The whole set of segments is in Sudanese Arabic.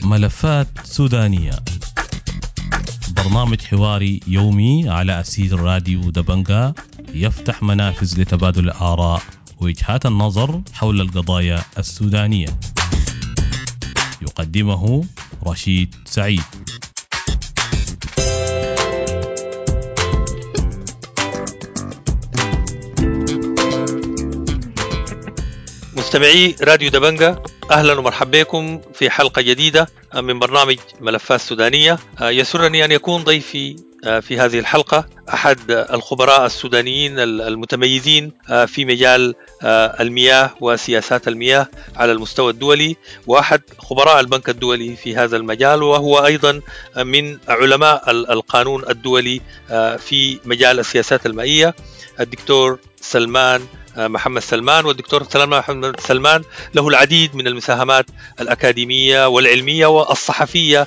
ملفات سودانية، برنامج حواري يومي على أثير راديو دبنقا، يفتح منافذ لتبادل الآراء ووجهات النظر حول القضايا السودانية. يقدمه رشيد سعيد. مستمعي راديو دبنقا، أهلا ومرحبا بكم في حلقة جديدة من برنامج ملفات سودانية. يسرني أن يكون ضيفي في هذه الحلقة أحد الخبراء السودانيين المتميزين في مجال المياه وسياسات المياه على المستوى الدولي، وأحد خبراء البنك الدولي في هذا المجال، وهو أيضا من علماء القانون الدولي في مجال السياسات المائية، الدكتور سلمان محمد سلمان. والدكتور سلمان محمد سلمان له العديد من المساهمات الأكاديمية والعلمية والصحفية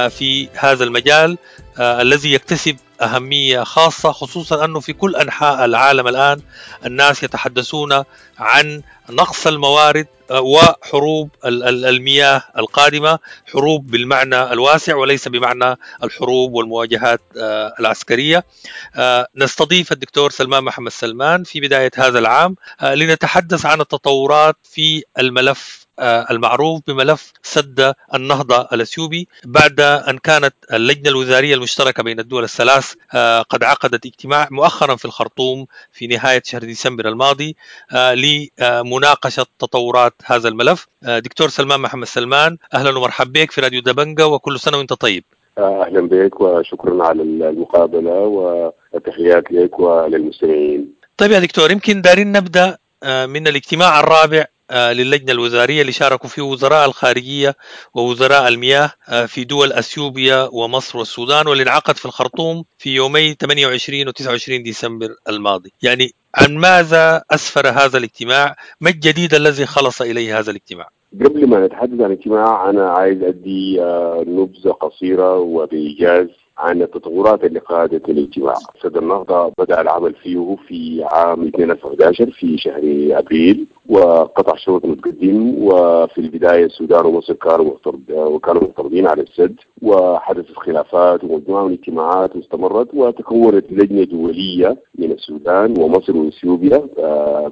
في هذا المجال الذي يكتسب أهمية خاصة، خصوصا أنه في كل أنحاء العالم الآن الناس يتحدثون عن نقص الموارد وحروب المياه القادمة، حروب بالمعنى الواسع وليس بمعنى الحروب والمواجهات العسكرية. نستضيف الدكتور سلمان محمد سلمان في بداية هذا العام لنتحدث عن التطورات في الملف المعروف بملف سد النهضة الأثيوبي، بعد أن كانت اللجنة الوزارية المشتركة بين الدول الثلاث قد عقدت اجتماع مؤخرا في الخرطوم في نهاية شهر ديسمبر الماضي لمناقشة تطورات هذا الملف. دكتور سلمان محمد سلمان، أهلا ومرحبا بك في راديو دبنقا، وكل سنة وانت طيب. أهلا بك وشكرا على المقابلة وتحيات لك وللمستمعين. طيب يا دكتور، يمكن دارين نبدأ من الاجتماع الرابع للجنة الوزارية اللي شاركوا فيه وزراء الخارجية ووزراء المياه في دول أثيوبيا ومصر والسودان، واللي انعقد في الخرطوم في يومي 28 و 29 ديسمبر الماضي. يعني عن ماذا أسفر هذا الاجتماع؟ ما الجديد الذي خلص إليه هذا الاجتماع؟ قبل ما نتحدث عن الاجتماع أنا عايز أدي نبذة قصيرة وبإيجاز عن التطورات اللي قادت الاجتماع. سد النهضة بدأ العمل فيه في عام 2011 في شهر أبريل، وقطع شوط متقدم. وفي البداية السودان ومصر كانوا معترضين على السد، وحدثت خلافات ومجموعة من الاجتماعات واستمرت، وتكونت لجنة دولية من السودان ومصر وإثيوبيا،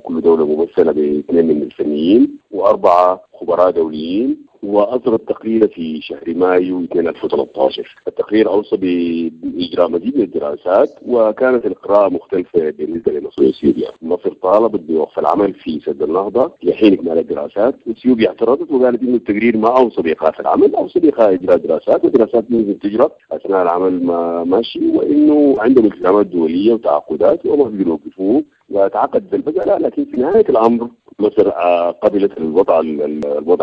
كل دولة ممثلة باثنين من الفنيين وأربعة خبراء دوليين، وأصدرت تقرير في شهر مايو 2013. التقرير أوصى بإجراء مزيد من الدراسات، وكانت القراءة مختلفة بالنسبة لمصر وإثيوبيا. مصر طالبت بوقف العمل في سد النهضة لحين إكمال الدراسات، وإثيوبيا اعترضت وقالت إنه التقرير ما أوصى بإيقاف العمل، أوصى بإجراء دراسات، ودراسات ممكن تجرى أثناء العمل ما ماشي، وإنه عندهم التزامات دولية وتعاقدات وما بيقدروا يوقفوه، وتعقدت المسألة. لكن في نهاية الأمر مصر قبلت الوضع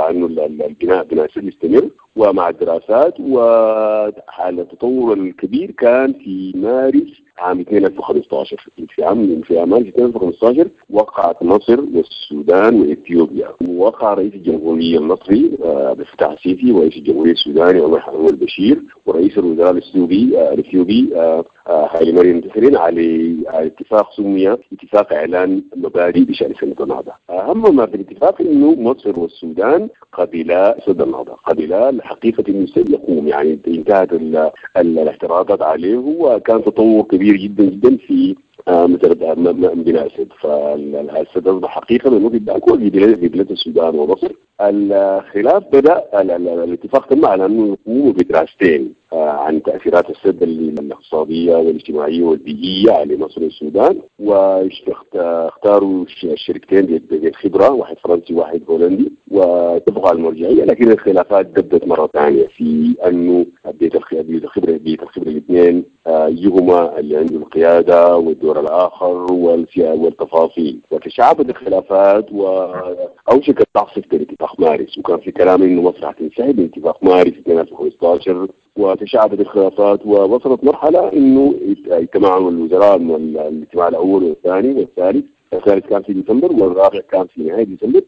انه البناء بناء السد يستمر ومع الدراسات. وحال التطور الكبير كان في مارس عام 2015. في مارس 2015 وقعت مصر والسودان واثيوبيا، ووقع رئيس الجمهورية المصري عبد الفتاح السيسي ورئيس الجمهورية السوداني عمر حسن البشير ورئيس الوزراء الاثيوبي هايلي مريم ديسالين على اتفاق سمي اتفاق اعلان مبادئ بشان سد النهضة. اهم ما في الاتفاق انه مصر والسودان قبلا سد النهضة، قبلا الحقيقة انه السد يقوم، يعني انتهت الاعتراضات عليه، وكان تطور كبير جدا جدا في مثل بناء السد. فالسد اصبح حقيقة من وقت ذاك في بلاد السودان ومصر. الخلاف بدا، الاتفاق تم على انه يقوموا بدراستين عن تاثيرات السد الاقتصادية والاجتماعية والبيئيه على مصر والسودان، واختاروا الشركتين بالخبرة، واحد فرنسي وواحد هولندي، واتفقوا على المرجعية. لكن الخلافات بدت مرة ثانية في انه بيت الخبرة الاثنين ايهما اللي عنده القيادة والدور الاخر والتفاصيل، وتشعبت الخلافات واوشكت تعصف باتفاق مارس، وكان في كلام انه مصر حتنسحب من اتفاق مارس 2015، وتشعبت الخلافات ووصلت مرحلة انه اجتمعوا الوزراء الاجتماع الاول والثاني والثالث. الثالث كان في ديسمبر والرابع كان في نهاية ديسمبر.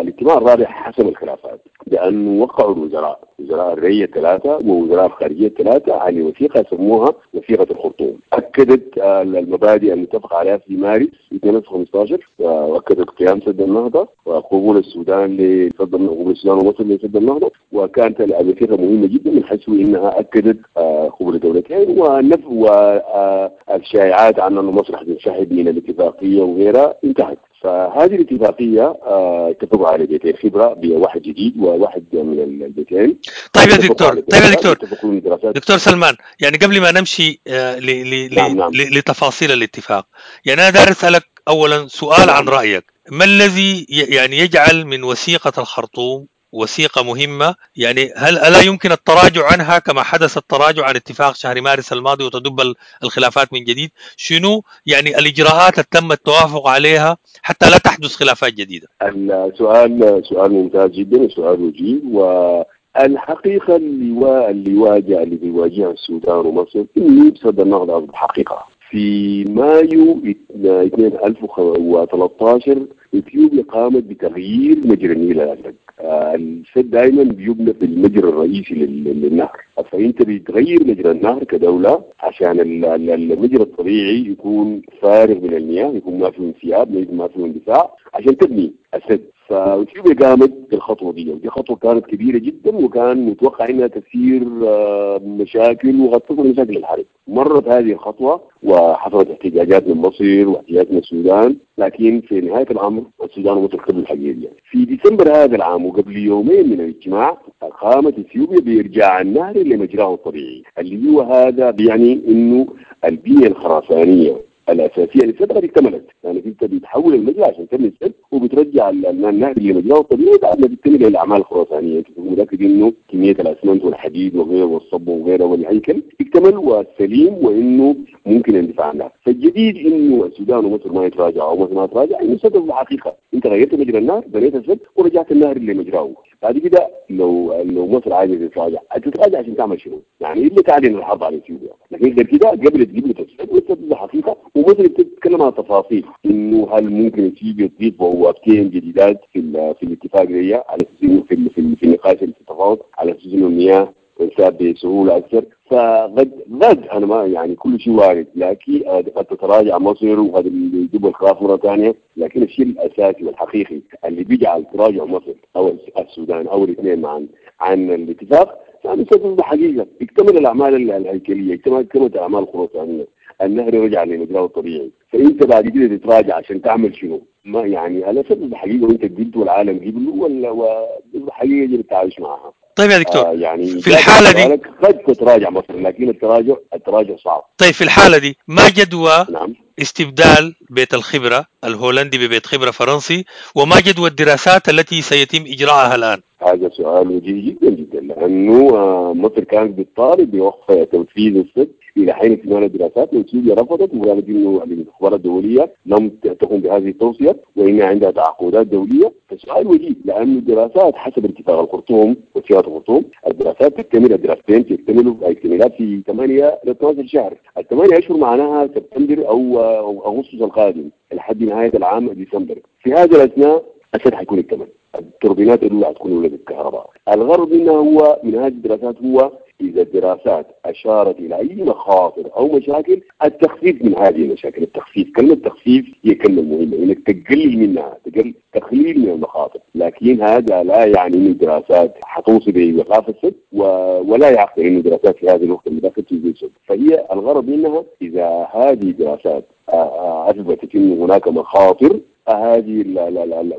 الاجتماع الرابع حسم الخلافات. بأنه وقعوا الوزراء، وزراء الري الثلاثة ووزراء الخارجية الثلاثة، على وثيقة سموها وثيقة الخرطوم. أكدت المبادئ المتفق عليها في مارس 2015، وأكدت قيام سد النهضة وقبول السودان لسد النهضة، قبول السودان ومصر لسد النهضة. وكانت الوثيقة مهمة جدا من حيث إنها أكدت قبول الدولتين ونفي والشائعات عن أن مصر حتنسحب من الاتفاقية وغيرها انتهت. فهذه الاتفاقية اتفقوا على بيتين خبرة، بواحد جديد وواحد من البيتين. طيب يا دكتور، طيب يا دكتور، دكتور سلمان، يعني قبل ما نمشي لتفاصيل الاتفاق، يعني أنا داير أسألك أولا سؤال عن رأيك، ما الذي يعني يجعل من وثيقة الخرطوم وثيقة مهمة؟ يعني هل ألا يمكن التراجع عنها كما حدث التراجع عن اتفاق شهر مارس الماضي وتدب الخلافات من جديد؟ شنو يعني الإجراءات التي تم التوافق عليها حتى لا تحدث خلافات جديدة؟ السؤال سؤال ممتاز جدا وسؤال وجيه. والحقيقة اللي بيواجهها السودان ومصر إنه سد النهضة أصبح حقيقة. في مايو 2013 اثيوبيا قامت بتغيير مجرى النيل الازرق. السد دائما بيبنى في المجرى الرئيسي للنهر، فانت بتغير مجرى النهر كدولة عشان المجرى الطبيعي يكون فارغ من المياه، يكون ما فيه انسياب، ما فيه اندفاع، عشان تبني السد. فاثيوبيا قامت بالخطوه دي، ودي خطوة كانت كبيرة جدا وكان متوقع انها تثير مشاكل وقد تصل مشاكل الحرب. مرت هذه الخطوة وحصلت احتجاجات من مصر واحتجاجات من السودان، لكن في نهاية الامر السودان ومصر قبلوا الحقيقة دي. في ديسمبر هذا العام وقبل يومين من الاجتماع قامت اثيوبيا بارجاع النهر لمجراه الطبيعي، اللي هو هذا بيعني انه البنية الخرسانيه الاساسية للسد قد اكتملت. يعني انت بتحول المجرى عشان تبني السد وبترجع النهر لمجراه الطبيعي بعد ما تكتمل الاعمال الخرسانيه. انت تكون متاكد انه كمية الاسمنت والحديد وغيره والصب وغيره والهيكل اكتمل وسليم وانه ممكن اندفاع عنها. فالجديد انه السودان ومصر ما يتراجعوا او مصر ما تراجع، انه السد الحقيقة انت غيرت مجرى النهر، بنيت السد ورجعت النهر لمجراه. بعد كده لو مصر عايزه تتراجع، تتراجع عشان تعمل شنو؟ يعني الا تعلن الحرب على اثيوبيا، لكن غير كده قبلت السد والسد حقيقة. ومصر بتتكلم عن تفاصيل انه هل ممكن اثيوبيا تضيف بوابتين جديدات في الاتفاق دي على اساس انه في النقاش في التفاوض على اساس انه المياه تنساب بسهولة اكثر. فقد غد انا ما يعني كل شيء وارد، لكن قد تتراجع مصر وقد يجيبوا الخلاف مرة ثانية، لكن الشيء الاساسي والحقيقي اللي بيجعل تراجع مصر او السودان او الاثنين معا عن الاتفاق فهذا سبب حقيقة. اكتمل الاعمال الهيكلية، اكتملت الاعمال الخرسانيه، النهر رجع لمجراه الطبيعي، فانت بعد كده تتراجع عشان تعمل شنو؟ ما يعني هذا سبب حقيقة وانت قبلته والعالم قبله ولا حقيقة يجب التعايش معها. طيب يا دكتور، يعني في الحالة دي قد تتراجع مصر، لكن التراجع صعب. طيب في الحالة دي ما جدوى استبدال بيت الخبرة الهولندي ببيت خبرة فرنسي، وما جدوى الدراسات التي سيتم إجراءها الآن؟ هذا سؤال وجيه جدا جدا، لأنه مصر كانت بتطالب بوقف تنفيذ السد إلى حين اكتمال الدراسات، واثيوبيا رفضت وقالت إنه الاستخبارات الدولية لم تقم بهذه التوصية وإن عندها تعاقدات دولية. فسؤال وجيه، لأن الدراسات حسب اتفاق الخرطوم واتفاق الخرطوم الدراسات تكتمل، الدراستين تكتملوا اكتمالات في 8 ل 12 شهر، الثمانية أشهر معناها سبتمبر أو أغسطس القادم لحد نهاية العام ديسمبر. في هذا الأثناء السد حيكون اكتمل، التوربينات الأولى حتكون ولدت الكهرباء. الغرض منها هو من هذه الدراسات هو إذا الدراسات أشارت إلى أي مخاطر أو مشاكل التخفيف من هذه المشاكل. التخفيف، كلمة تخفيف هي كلمة مهمة، إنك تقلل منها، تقليل من المخاطر، لكن هذا لا يعني أن الدراسات حتوصل بإيقاف السد ولا يعقل أن الدراسات في هذه الوقت المتأخر تزيد السد. فهي الغرض منها إذا هذه الدراسات أثبتت أن هناك مخاطر، هذه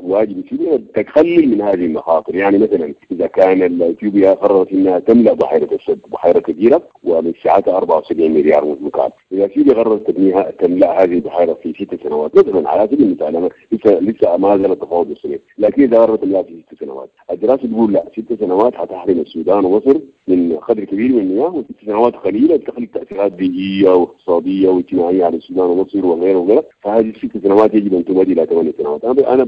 واجب اثيوبيا تقلل من هذه المخاطر. يعني مثلا اذا كان اثيوبيا قررت انها تملا بحيرة السد، بحيرة كبيرة ومن سعتها 74 مليار متر مكعب، اذا اثيوبيا قررت تبنيها تملا هذه البحيرة في 6 سنوات مثلا على سبيل المثال، لسه ما زال التفاوض مستمر، لكن اذا قررت تملاها في 6 سنوات، الدراسة تقول لا، 6 سنوات حتحرم السودان ومصر من قدر كبير من المياه، وست سنوات قليله تخلق تاثيرات بيئية واقتصادية واجتماعية على السودان ومصر وغيره وغيره. فهذه ال6 سنوات يجب ان تمد الى 8 سنوات. انا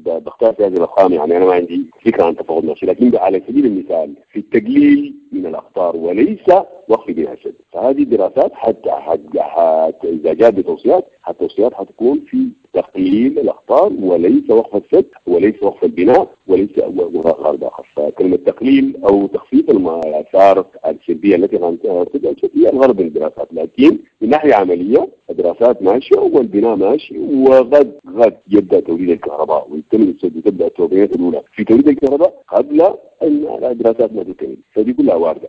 بختار في هذه الارقام، يعني انا ما عندي فكرة عن تفاوض نفسي، لكن على سبيل المثال في التقليل من الاخطار وليس وقف بناء السد. فهذه الدراسات حتى اذا جاءت بتوصيات، التوصيات حتكون في تقليل الاخطار وليس وقف السد وليس وقف البناء وليس غرض اخر. فكلمه تقليل او تخفيف الاثار السلبية التي تبدا هي الغرض من الدراسات، لكن من ناحية عملية الدراسات ماشية والبناء ماشي، وغد غد يبدا توليد الكهرباء ويكتمل السد وتبدا التوربينات الاولى في توليد الكهرباء قبل ان الدراسات ما تكتمل، فدي كلها وارده.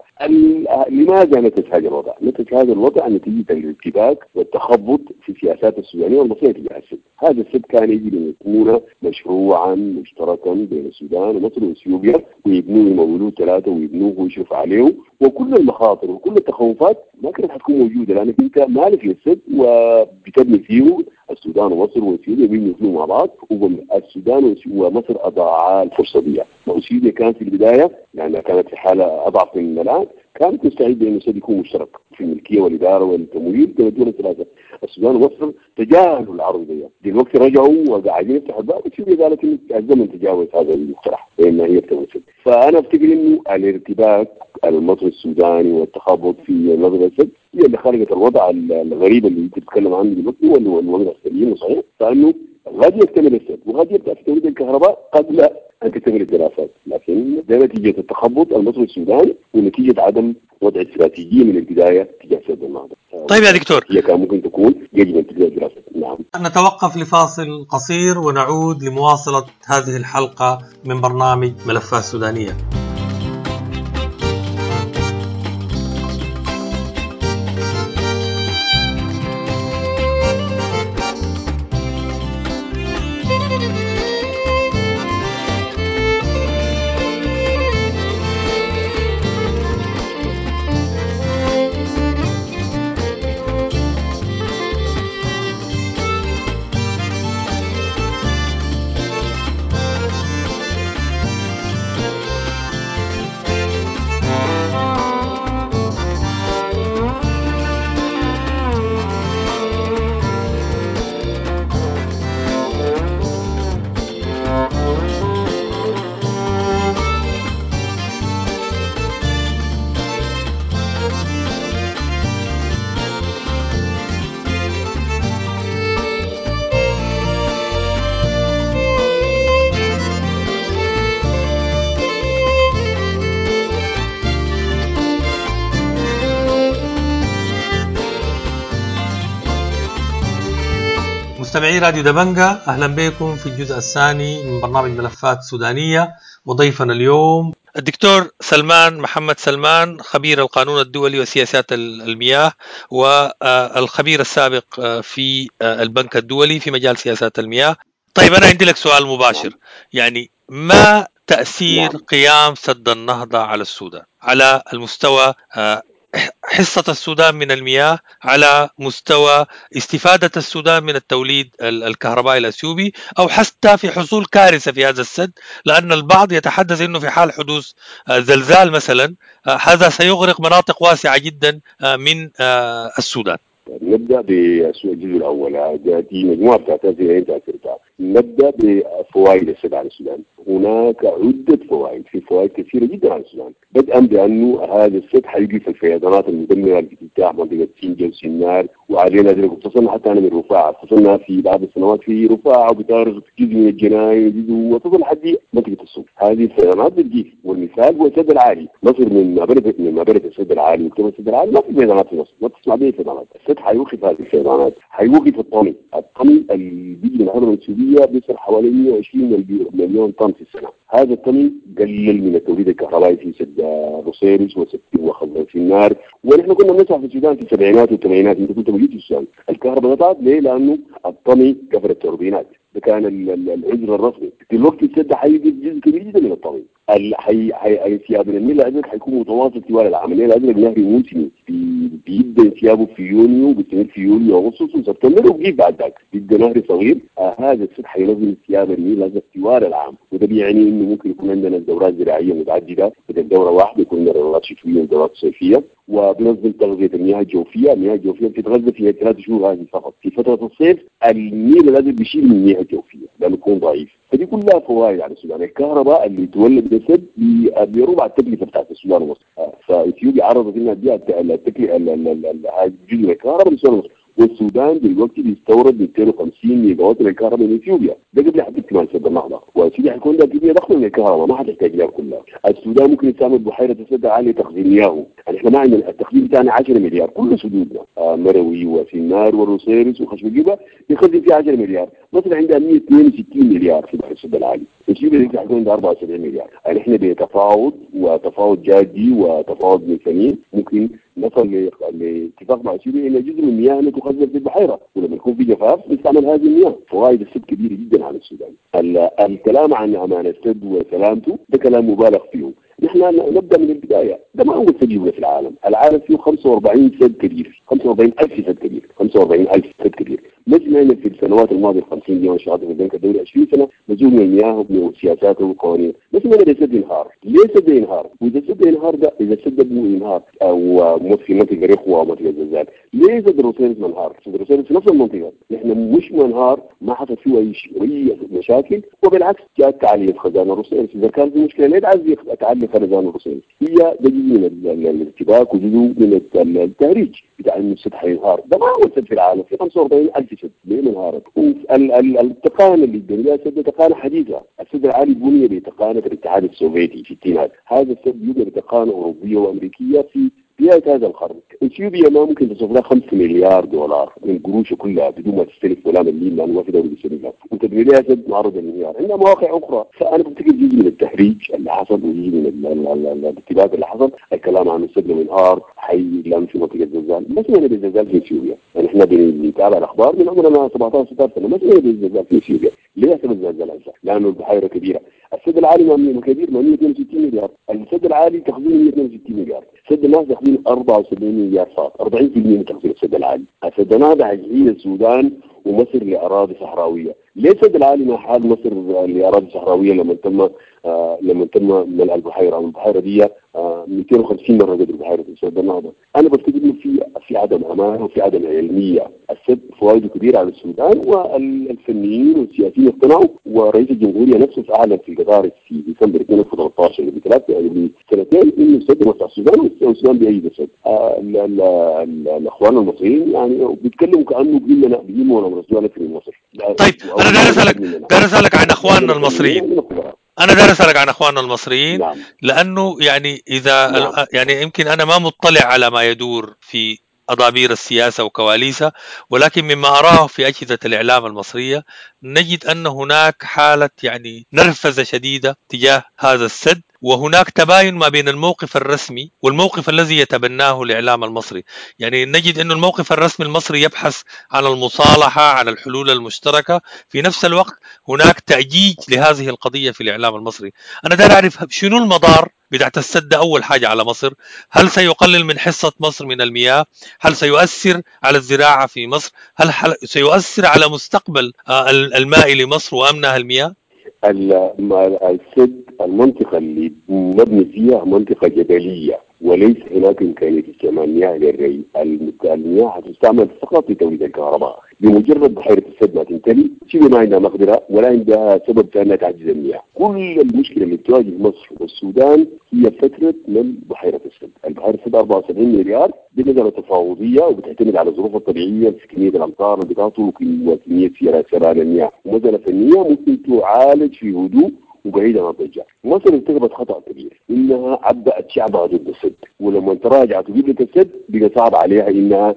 لماذا نتج هذا الوضع؟ نتج هذا الوضع نتيجة الارتباك والتخبط في السياسات السودانية والمصريه تجاه السد. هذا السد كان يجب ان يكون مشروعا مشتركا بين السودان ومصر واثيوبيا، ويبنوه يمولوه ثلاثة ويبنوه ويشرف عليه، وكل المخاطر وكل التخوفات ما كانت حتكون موجودة، لانك انت مالك للسد وبتبني فيه السودان ومصر واثيوبيا بيبنوا فيه مع بعض، والسودان ومصر اضاعا الفرصة دي. واثيوبيا كانت في البداية لانها كانت في حاله اضعف من الان، كانت مستعدة انه السد يكون مشترك في الملكية والادارة والتمويل بين الدول الثلاثة. السودان ومصر تجاهلوا العرض ده، دلوقتي رجعوا وقاعدين يفتحوا الباب، واثيوبيا قالت انه الزمن تجاوز هذا المقترح وان هي بتمثل. فانا افتكر انه الارتباك المصري السوداني والتخبط في نظر السد هي اللي خلقت الوضع الغريب اللي انت بتتكلم عنه دلوقتي، والوضع السليم وصحيح، فانه غد يكتمل السد وغد يبدا في توليد الكهرباء قبل ان تكتمل الدراسات، لكن ده نتيجة التخبط المصري السوداني ونتيجة عدم وضع استراتيجية من البداية تجاه سد النهضة. طيب يا دكتور، هي كان ممكن تكون يجب ان تبدا الدراسات. نعم. نتوقف لفاصل قصير ونعود لمواصلة هذه الحلقة من برنامج ملفات سودانيه. مستمعي راديو دبنجة، أهلا بكم في الجزء الثاني من برنامج ملفات سودانية، وضيفنا اليوم الدكتور سلمان محمد سلمان، خبير القانون الدولي وسياسات المياه، والخبير السابق في البنك الدولي في مجال سياسات المياه. طيب أنا عندي لك سؤال مباشر، يعني ما تأثير قيام سد النهضة على السودان على المستوى حصة السودان من المياه، على مستوى استفادة السودان من التوليد الكهربائي الأثيوبي، أو حتى في حصول كارثة في هذا السد، لأن البعض يتحدث أنه في حال حدوث زلزال مثلا هذا سيغرق مناطق واسعة جدا من السودان. نبدأ بالسؤال الجزء الأول، دي مجموعة بتاعت تأثيرها. نبدأ بفوائد السد على السودان. هناك عدة فوائد، في فوائد كثيرة جدا على السودان، بدءا بأنه هذا السد حيوقف الفيضانات المدمرة اللي بتجتاح منطقة سنجة وسنار وعلينا ذلك، وتصلنا حتى أنا من رفاعة، تصلنا في بعض السنوات في رفاعة وبتارغ جزء من الجناين جزء وتصل لحد منطقة السوق. هذه الفيضانات بتجيف، والمثال هو السد العالي. مصر من ما بنت السد العالي وكتب السد العالي ما في فيضانات في مصر، ما تسمع به فيضانات. السد حيوقف هذه الفيضانات، حيوقف الطمي، الطمي اللي بيجي من الهضبة السورية بيصل حوالي 120 مليون طن في السنة. هذا الطمي قلل من التوليد الكهربائي في سد روسيرس وسد وخزان النار، ونحن كنا بنسمع في السودان في السبعينات والثمانينات، انت كنت موجود في السودان، الكهرباء قطعت ليه؟ لانه الطمي قفل التوربينات، ده كان العذر الرسمي. دلوقتي السد حيجي جزء كبير جدا من الطمي، انسياب النيل الازرق حيكون متواصل طوال العام. النيل الازرق نهر موسمي، بيبدا انسيابه في يونيو وبيستمر في يوليو واغسطس وسبتمبر وبيجيب بعد ذاك، بيبقى نهر صغير. هذا السد حينظم انسياب النيل الازرق طوال العام، وده بيعني انه ممكن يكون عندنا دورات زراعية متعددة، بدل دوره واحدة يكون عندنا دورات شتوية ودورات صيفية. وبنظم تغذية المياه الجوفيه، المياه الجوفيه بتتغذى في 3 شهور هذه فقط. في فترة الصيف النيل الازرق بيشيل من المياه الجوفيه، لانه بيكون ضعيف. فدي كلها فوائد على السودان. الكهرباء اللي تولد بالسد بربع التكلفة بتاعت السودان ومصر. فاثيوبيا عرضت انها تبيع التكلفة جزء من الكهرباء للسودان ومصر، والسودان دلوقتي بيستورد 250 ميجا وات من الكهرباء من اثيوبيا، ده قبل حتى اكتمال سد النهضة، واثيوبيا حيكون عندها كمية ضخمة من الكهرباء ما حتحتاج لها كلها. السودان ممكن يستعمل بحيرة السد العالي لتخزين مياهه، يعني احنا ما عندنا التخزين بتاعنا 10 مليار، كل سدودنا مروي وسنار والروصيرص وخشم الجبة بيخزن فيها 10 مليار، مصر عندها 162 مليار في بحر السد العالي، اثيوبيا دلوقتي حيكون عندها 74 مليار. يعني احنا بتفاوض وتفاوض جادي وتفاوض من سنين ممكن نصل لاتفاق مع اثيوبيا ان جزء من مياهنا تخزن في البحيرة، ولما يكون في جفاف نستعمل هذه المياه. فوائد السد كبيرة جدا على السودان. الكلام عن امان السد وسلامته ده كلام مبالغ فيه. نحن نبدا من البداية، ده ما اول سد يبنى في العالم، العالم فيه 45 سد كبير، 45,000 سد كبير، 45,000 سد كبير. ما سمعنا في السنوات الماضية 50 دي وانا اشتغلت في البنك الدولي 20 سنة مزوم من المياه وسياساته وقوانينه، ما سمعنا بسد ينهار، ليه سد ينهار؟ واذا سد ينهار ده اذا سد ينهار او في منطقة رخوه او منطقة زلزال، ليه سد الروصيرص ما انهار؟ سد الروصيرص في نفس المنطقة، نحن مش منهار، ما حصل فيه اي شيء اي مشاكل، وبالعكس جاءت تعلية خزان الروصيرص، اذا كان في مشكلة ليه تعلي خزان الروصيرص؟ هي ده جزء من الارتباك وجزء من التهريج بتاع انه السد حينهار، ده ما اول سد في العالم، في 45,000 سد، ليه ما انهارت؟ التقانه اللي بنيها السد تقانه حديثه، السد العالي بني بتقانه الاتحاد السوفيتي في الستينات، هذا السد يبنى بتقانه اوروبية وامريكيه في بداية هذا القرن. اثيوبيا ما ممكن تصرف لها 5 مليار دولار من قروشها كلها بدون ما تستلف ولا مليم، لانه ما في دولة بتستلفها، وتبني لها سد معرض للانهيار، عندها مواقع اخرى. فانا بفتكر جزء من التهريج اللي حصل وجزء من الارتباك اللي حصل، الكلام عن السد لو انهار حي لم في منطقة زلزال، ما سمعنا بالزلزال في اثيوبيا، يعني احنا بنتابع الاخبار من عمرنا 17 16 سنة، ما سمعنا بالزلزال في اثيوبيا، ليه حصل الزلزال هسه؟ لانه البحيرة كبيرة. السد العالي ما كبير، ما 162 مليار، السد العالي تخزينه 162 مليار، سد النهضة تخزينه 74 مليار فقط، 40% من تخزين السد العالي. السد النهضة حيحيل السودان ومصر لاراضي صحراويه، ليه السد العالي ما حال مصر لاراضي صحراويه لما تم ملء البحيرة؟ والبحيره دي 250 مرة قدر بحيرة السد النهضة. انا بفتكر انه في عدم امانه وفي عدم علمية. السد فوائده كبيرة على السودان، والفنيين والسياسيين اقتنعوا، ورئيس الجمهورية نفسه اعلن في القطار في ديسمبر 2013 قبل سنتين انه السد مصلحة السودان، والسودان بيأيد السد. الاخوان المصريين يعني بيتكلموا كانه بيهمنا امر السودان اكثر من مصر. طيب انا داير اسالك عن اخواننا المصريين. أنا داير أسألك عن أخواننا المصريين. نعم. لأنه يعني إذا نعم. يعني يمكن أنا ما مطلع على ما يدور في أضابير السياسة وكواليسها، ولكن مما أراه في أجهزة الإعلام المصرية نجد أن هناك حالة يعني نرفزة شديدة تجاه هذا السد، وهناك تباين ما بين الموقف الرسمي والموقف الذي يتبناه الإعلام المصري. يعني نجد أن الموقف الرسمي المصري يبحث عن المصالحة، عن الحلول المشتركة، في نفس الوقت هناك تأجيج لهذه القضية في الإعلام المصري. أنا داير أعرف شنو المضار بتاعت السد أول حاجة على مصر؟ هل سيقلل من حصة مصر من المياه؟ هل سيؤثر على الزراعة في مصر؟ هل سيؤثر على مستقبل الماء لمصر وأمنها المياه؟ السد المنطقة اللي مبني فيها منطقة جبلية، وليس هناك إمكانية استعمال مياه للري. المياه هتستعمل فقط لتوليد الكهرباء. بمجرد بحيرة السد ما تمتلي، شبه ما عندها مقدرة ولا عندها سبب في أنها تعجز المياه. كل المشكلة اللي بتواجه مصر والسودان هي فترة من بحيرة السد. البحيرة السد 74 مليار بنزلة تفاوضية، وبتعتمد على الظروف الطبيعية في كمية الأمطار اللي بتهطل وكمية سريان المياه، ومسألة فنية ممكن تعالج في هدوء وبعيدا عن الضجة. مصر ارتكبت خطأ كبير، انها عبأت شعبها ضد السد، ولما تراجعت وقبلت السد بقى صعب عليها انها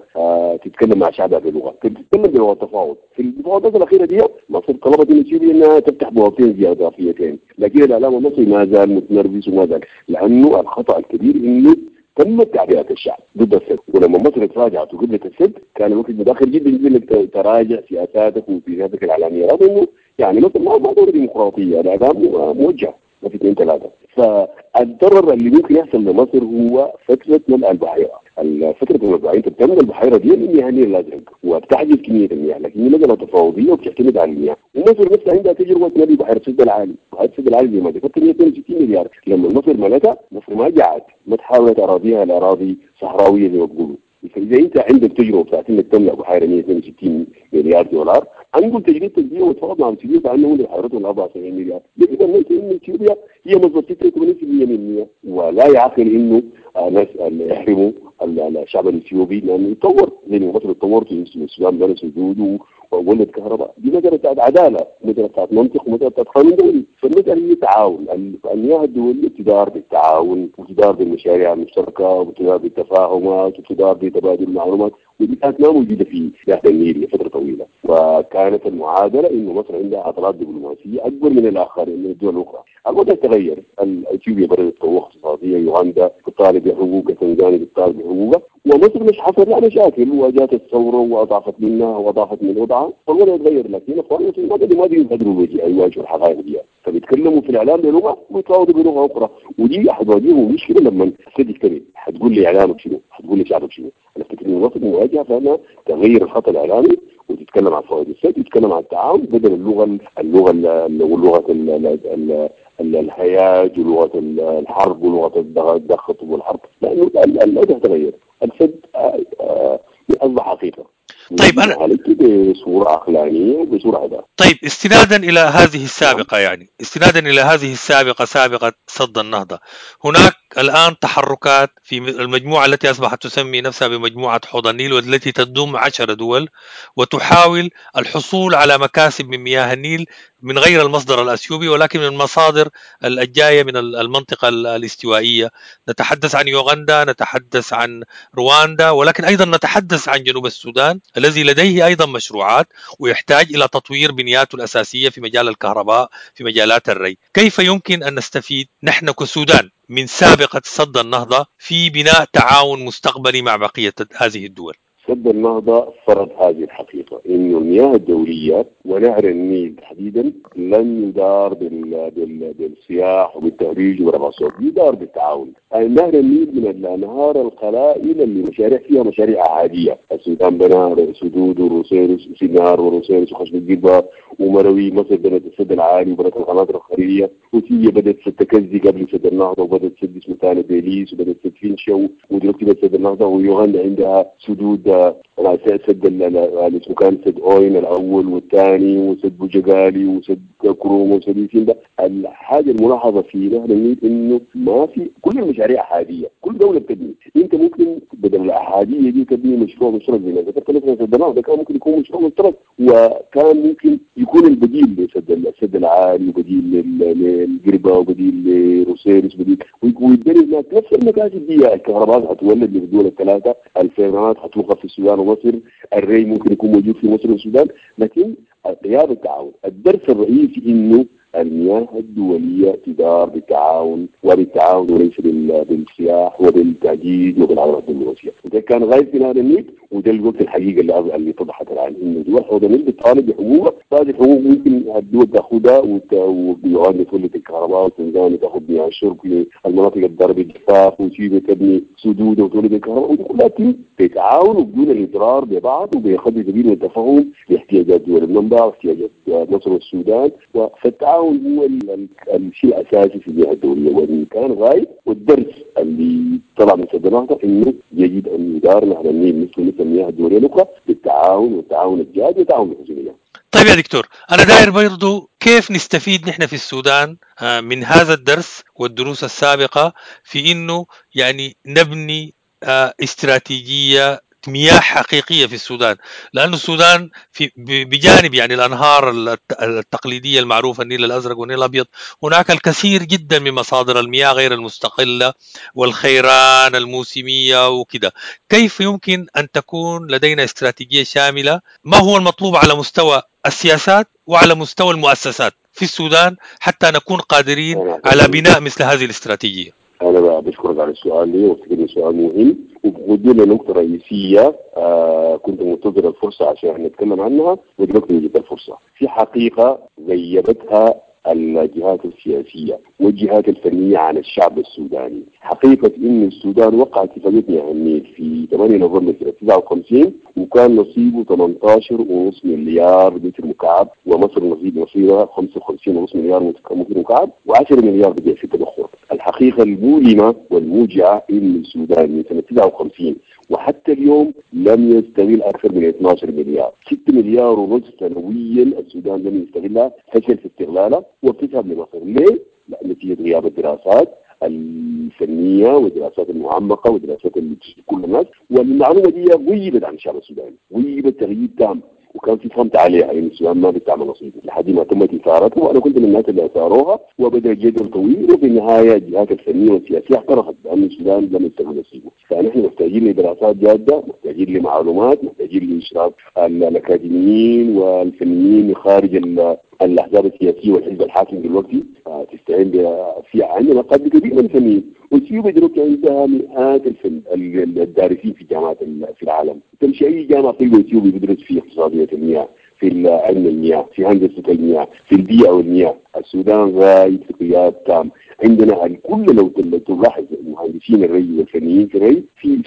تتكلم مع شعبها بلغه، تتكلم بلغه تفاوض. في المفاوضات الاخيرة دي مصر طلبت من اثيوبيا انها تفتح بوابتين اضافيتين، لكن الاعلام المصري ما زال متنرفز وما زال، لانه الخطأ الكبير انه تمت تعبئة الشعب ضد السد، ولما مصر تراجعت وقبلت السد كان الوقت متاخر جدا جدا انك تراجع سياساتك وسياساتك الاعلامية، رغم انه يعني مصر ما دولة ديمقراطية، الاعلام موجه ما في اثنين ثلاثة. فالضرر اللي ممكن يحصل لمصر هو فترة ملء البحيرة، فترة ملء البحيرة، انت بتملى البحيرة دي المياه النيل الازرق وبتحجز كمية المياه، لكن هي مسالة تفاوضيه وبتعتمد على المياه، ومصر نفسها عندها تجربه ملء بحيرة السد العالي، بحيرة السد العالي زي ما ذكرت 162 مليار، لما مصر ملتها مصر ما جاعت، ما تحولت اراضيها لاراضي صحراويه زي ما بيقولوا. فاذا انت عندك تجربه بتاعت انك تملا بحيرة 162 مليار دولار، انقل تجربتك دي وتفاوض مع اثيوبيا بانه بحيرتهم 74 مليار. اذا ليس ان اثيوبيا هي مصدر 86% من المياه، ولا يعقل انه ناس يحرموا الشعب الاثيوبي لانه يتطور زي ما مصر اتطورت والسودان بنى سدود وولد كهرباء. دي مسالة بتاعت عدالة، مسالة بتاعت منطق، ومسالة بتاعت قانون دولي. فالمسالة هي تعاون. المياه الدولية تدار بالتعاون، وتدار بالمشاريع المشتركة، وتدار بالتفاهمات، وتدار بتبادل المعلومات، ودي كانت ما موجودة في نهر النيل لفترة طويلة. وكانت المعادلة انه مصر عندها عضلات دبلوماسية اكبر من الاخرين من الدول الاخرى. الوضع تغير، اثيوبيا بدات قوة اقتصادية، يوغندا تطالب بحقوقها، تنزانيا بتطالب بحقوقها، ومصر مش حصل لها مشاكل وجات الثورة واضعفت منها واضعفت من وضعها، فالوضع تغير. لكن اخوان ما بيقدروا يواجهوا الحقائق دي، فبيتكلموا في الاعلام بلغه ويتفاوضوا بلغه اخرى، ودي حتواجههم مشكلة لما السد يكتمل. حتقول لي اعلامك شنو؟ حتقول لي شعبك شنو؟ انا افتكر انه مصر مواجهة فانها تغير الخط الاعلامي وتتكلم عن فوائد السد وتتكلم عن التعاون بدل اللغة ولغة الهياج ولغة الحرب ولغة الضغط والحرب، لانه الوضع تغير. السد اصبح حقيقة. طيب انا بصورة عقلانية وبصورة عدالة. طيب استنادا الى هذه السابقة، يعني استنادا الى هذه السابقة، سابقه سد النهضة، هناك الان تحركات في المجموعة التي اصبحت تسمي نفسها بمجموعه حوض النيل، والتي تضم 10 دول وتحاول الحصول على مكاسب من مياه النيل من غير المصدر الاثيوبي، ولكن من المصادر الجاية من المنطقة الاستوائيه. نتحدث عن يوغندا، نتحدث عن رواندا، ولكن ايضا نتحدث عن جنوب السودان الذي لديه ايضا مشروعات ويحتاج الى تطوير بنياته الاساسية في مجال الكهرباء، في مجالات الري. كيف يمكن ان نستفيد نحن كسودان من سابقه سد النهضة في بناء تعاون مستقبلي مع بقية هذه الدول؟ سد النهضة فرض هذه الحقيقة، إنه المياه الدولية ونهر النيل تحديدا لن يدار بالسياح وبالتهريج ورفع الصوت، يدار بالتعاون. نهر النيل من الأنهار القلائل اللي مشاريع فيها مشاريع عادية. السودان بنى سدود وروسيرس وسينار وروسيرس وخشب الجبة ومروي، مصر بنت السد العالي وبنت القناطر الخيرية، وتيجي بدأت سد تكزي قبل سد النهضة، وبدأت سد اسمه ثاني بيليس، وبدأت سد فينشا، ودلوقتي بدأت سد النهضة. ويوغندا عندها سدود، سد اللي اسمه كان سد اوين الاول والثاني، وسد بوجغالي، وسد كروم، وسد سيمبا. الحاجة الملاحظة في نهر النيل انه ما في كل المشاريع احادية، كل دولة بتبني. انت ممكن بدل الاحاديه دي تبني مشروع مشترك زي ما ذكرت مثلا سد النهضة، كان ممكن يكون مشروع مشترك، وكان ممكن يكون البديل لسد السد العالي، وبديل للقربه، وبديل لروسيرس، وبديل ويتبني هناك نفس المكاسب دي. الكهرباء حتولد للدول الثلاثة، الفيضانات حتوقف في السودان ومصر، الري ممكن يكون موجود في مصر والسودان، لكن غياب التعاون. الدرس الرئيسي انه المياه الدولية تدار بالتعاون، وبالتعاون وليس بالسياح وبالتهديد وبالعضلات الدبلوماسية. وده كان غايب في نهر النيل، وده الوقت الحقيقة اللي اتضحت الان، انه دول حوض النيل بتطالب بحقوقها. هذه الحقوق ممكن الدول تاخذها، ويوغندا تولد الكهرباء، وتنزانيا تاخذ مياه الشرب للمناطق الضاربة بالجفاف، وتشيلي تبني سدود وتولد الكهرباء، ودي كلها تتم بتعاون وبدون الاضرار ببعض، وبقدر كبير من التفاهم لاحتياجات دول المنبع واحتياجات مصر والسودان. فالتعاون هو الشيء الاساسي في المياه الدولية، وان كان غايب. والدرس اللي طلع من سد النهضة انه يجب ان يدار نهر النيل مثل المياه الدولية الاخرى بالتعاون، والتعاون الجاد، والتعاون بالحسنيه. طيب يا دكتور، انا داير برضو كيف نستفيد نحن في السودان من هذا الدرس والدروس السابقة في انه يعني نبني استراتيجية مياه حقيقية في السودان، لأن السودان في بجانب يعني الأنهار التقليدية المعروفة النيل الأزرق والنيل الأبيض، هناك الكثير جدا من مصادر المياه غير المستقلة والخيران الموسمية وكده. كيف يمكن أن تكون لدينا استراتيجية شاملة؟ ما هو المطلوب على مستوى السياسات وعلى مستوى المؤسسات في السودان حتى نكون قادرين على بناء مثل هذه الاستراتيجية؟ أنا بشكرك على السؤال ده، وافتكر سؤال مهم، وبودي لنقطة رئيسية كنت منتظر الفرصة عشان نتكلم عنها، ودلوقتي وجدت الفرصة. في حقيقة غيبتها الجهات السياسية والجهات الفنية عن الشعب السوداني، حقيقة إن السودان وقع اتفاقية مياه النيل في 8 نوفمبر سنة 59، وكان نصيبه 18.5 مليار متر مكعب، ومصر نصيبها 55.5 مليار متر مكعب، و10 مليار بقي في التبخر. الحقيقة الحقيقة المؤلمة والموجعة إن السودان من سنة 59 وحتى اليوم لم يستغل أكثر من 12 مليار، 6 مليار ونص سنويا السودان لم يستغلها، فشل في استغلالها وبتذهب لمصر. ليه؟ نتيجة غياب الدراسات الفنية والدراسات المعمقة والدراسات اللي كل الناس، والمعلومة دي غيبت عن الشعب السوداني، غيبت تغييب تام، وكان في صمت عليها، يعني السودان ما بتعمل نصيبه لحد ما تمت إثارته، وأنا كنت من الناس اللي أثاروها، وبدأ جدل طويل، وفي النهاية الجهات الفنية والسياسية اعترفت بأن السودان لم يستغل نصيبه. فنحن محتاجين لدراسات جادة، محتاجين لمعلومات، محتاجين لإشراك الأكاديميين والفنيين خارج الأحزاب السياسية والحزب الحاكم دلوقتي. تستعين في عندنا قدر كبير من الفنيين، واثيوبيا دلوقتي عندها مئات الدارسين في جامعات في العالم. تمشي اي جامعه تلقى اثيوبي بيدرس في اقتصادية المياه، في علم المياه، في هندسة المياه، في البيئة والمياه. السودان غايب في غياب تام. عندنا الكل لو تلاحظ المهندسين الري والفنيين في الري في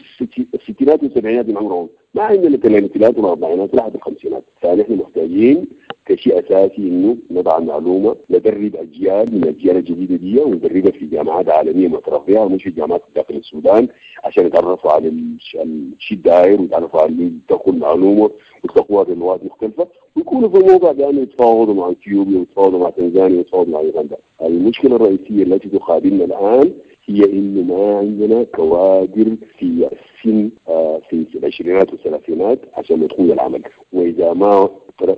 الستينات والسبعينات من عمرهم، ما عندنا الثلاثينات والاربعينات لحد الخمسينات. فنحن محتاجين كشيء اساسي انه نضع المعلومة، ندرب اجيال من الاجيال الجديدة دي، وندربها في جامعات عالمية معترف بها، مش في جامعات داخل السودان، عشان يتعرفوا على الشيء الداير ويتعرفوا على يتلقوا المعلومة ويتلقوها بلغات مختلفة، ويكونوا في الموضع بانه يتفاوضوا مع اثيوبيا ويتفاوضوا مع تنزانيا ويتفاوضوا مع يوغندا. المشكلة الرئيسية التي تقابلنا الان هي انه ما عندنا كوادر في السن في العشرينات والثلاثينات عشان يدخلوا العمل، واذا ما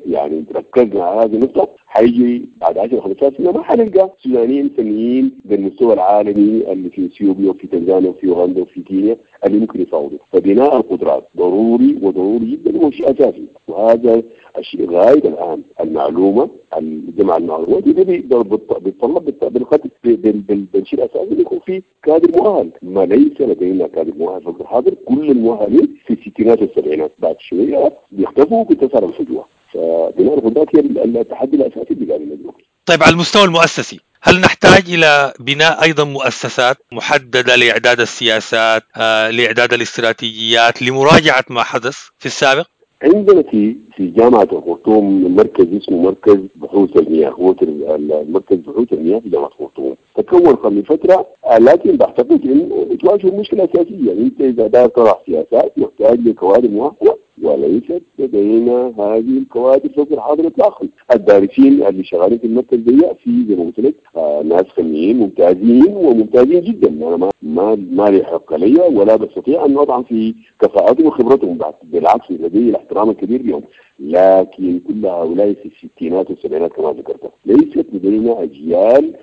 يعني ركزنا على هذه النقطة حيجي بعد 10 15 سنة ما حنلقى سودانيين فنيين بالمستوى العالمي اللي في اثيوبيا وفي تنزانيا وفي اوغندا وفي كينيا اللي ممكن يفاوضوا. فبناء القدرات ضروري وضروري جدا وشيء اساسي، وهذا الشيء غايب الان. المعلومة، جمع المعلومات بيتطلب بالشيء الاساسي يكون في كادر مؤهل. ما ليس لدينا كادر مؤهل في الحاضر، كل المؤهلين في الستينات والسبعينات، بعد شوية بيختفوا وبتظهر الفجوة. فبناء القدرات هي التحدي الاساسي اللي قابلنا دلوقتي. طيب، على المستوى المؤسسي، هل نحتاج إلى بناء أيضا مؤسسات محددة لإعداد السياسات، لإعداد الاستراتيجيات، لمراجعة ما حدث في السابق؟ عندنا في جامعة الخرطوم مركز اسمه مركز بحوث المياه، هو مركز بحوث المياه في جامعة الخرطوم، تكون قبل فترة، لكن بعتقد انه بتواجه مشكلة أساسية. انت إذا دار طرح سياسات محتاج لكوادر مؤهلة، وليست لدينا هذه الكوادر في الحاضر اطلاقا. الدارسين اللي شغالين في المركز دي في زي ما قلت لك ناس فنيين ممتازين وممتازين جدا، انا ما لي حق لي ولا بستطيع ان اطعن في كفاءتهم وخبرتهم، بالعكس لدي الاحترام الكبير لهم، لكن كل هؤلاء في الستينات والسبعينات كما ذكرت ليست لدينا اجيال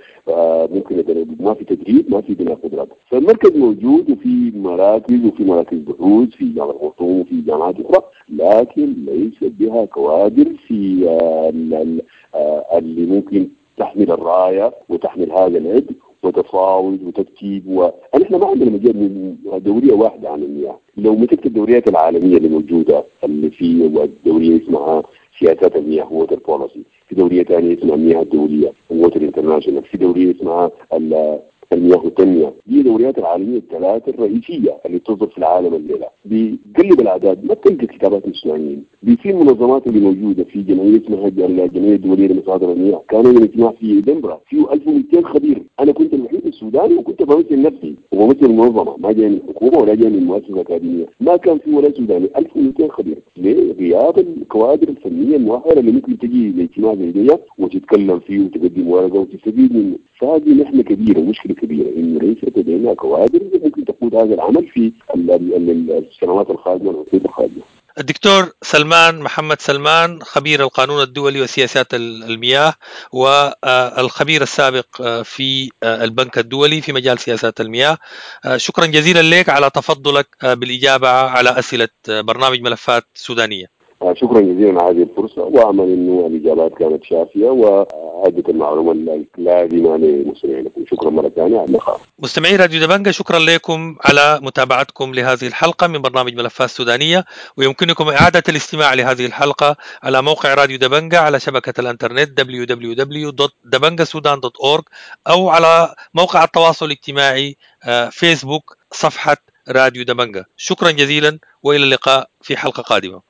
ممكن، ما في تدريب، ما في بناء قدرات. فالمركز موجود وفي مراكز وفي مراكز بحوث في جامعة الخرطوم وفي جامعات أخرى، لكن ليست بها كوادر في اللي ممكن تحمل الراية وتحمل هذا العبء وتفاوض وتكتيب. ونحن ما عندنا مجال دورية واحدة عن المياه. لو مسكت الدوريات العالمية اللي موجودة، اللي في دورية اسمها سياسات المياه water policy، في دورية ثانية اسمها المياه الدولية water international، في دورية اسمها المياه والتنمية. دي دوريات العالمية الثلاثة الرئيسية اللي تصدر في العالم الليلة. بقلب الاعداد ما بتلقى كتابات السودانيين. في المنظمات اللي موجودة، في جمعية اسمها الجمعية الدولية لمصادر المياه، كان عندنا اجتماع في دنبرة فيه 1200 خبير، انا كنت الوحيد السوداني وكنت بمثل نفسي وبمثل المنظمة، ما جاي من الحكومة ولا جاي من مؤسسة اكاديمية، ما كان في ولا سوداني، 1200 خبير. ليه؟ غياب الكوادر الفنية المؤهله اللي ممكن تجي لاجتماع زي ده وتتكلم فيه وتقدم ورقة وتستفيد منه. فهذه محنة كبيرة ومشكلة كبيرة، انه ليست لدينا كوادر ممكن تقود هذا العمل في السنوات القادمة والعقود القادمة. الدكتور سلمان محمد سلمان، خبير القانون الدولي وسياسات المياه، والخبير السابق في البنك الدولي في مجال سياسات المياه، شكرا جزيلا لك على تفضلك بالإجابة على أسئلة برنامج ملفات سودانية. شكرا جزيلا على هذه الفرصة، وأمل أنه الإجابات كانت شافية وأدت المعلومة اللازمة لمستمعينكم. شكرا مرة ثانية على اللقاء. مستمعي راديو دبنجة، شكرا لكم على متابعتكم لهذه الحلقة من برنامج ملفات سودانية، ويمكنكم إعادة الاستماع لهذه الحلقة على موقع راديو دبنجة على شبكة الإنترنت www.dabangasudan.org، أو على موقع التواصل الاجتماعي فيسبوك صفحة راديو دبنجة. شكرا جزيلا وإلى اللقاء في حلقة قادمة.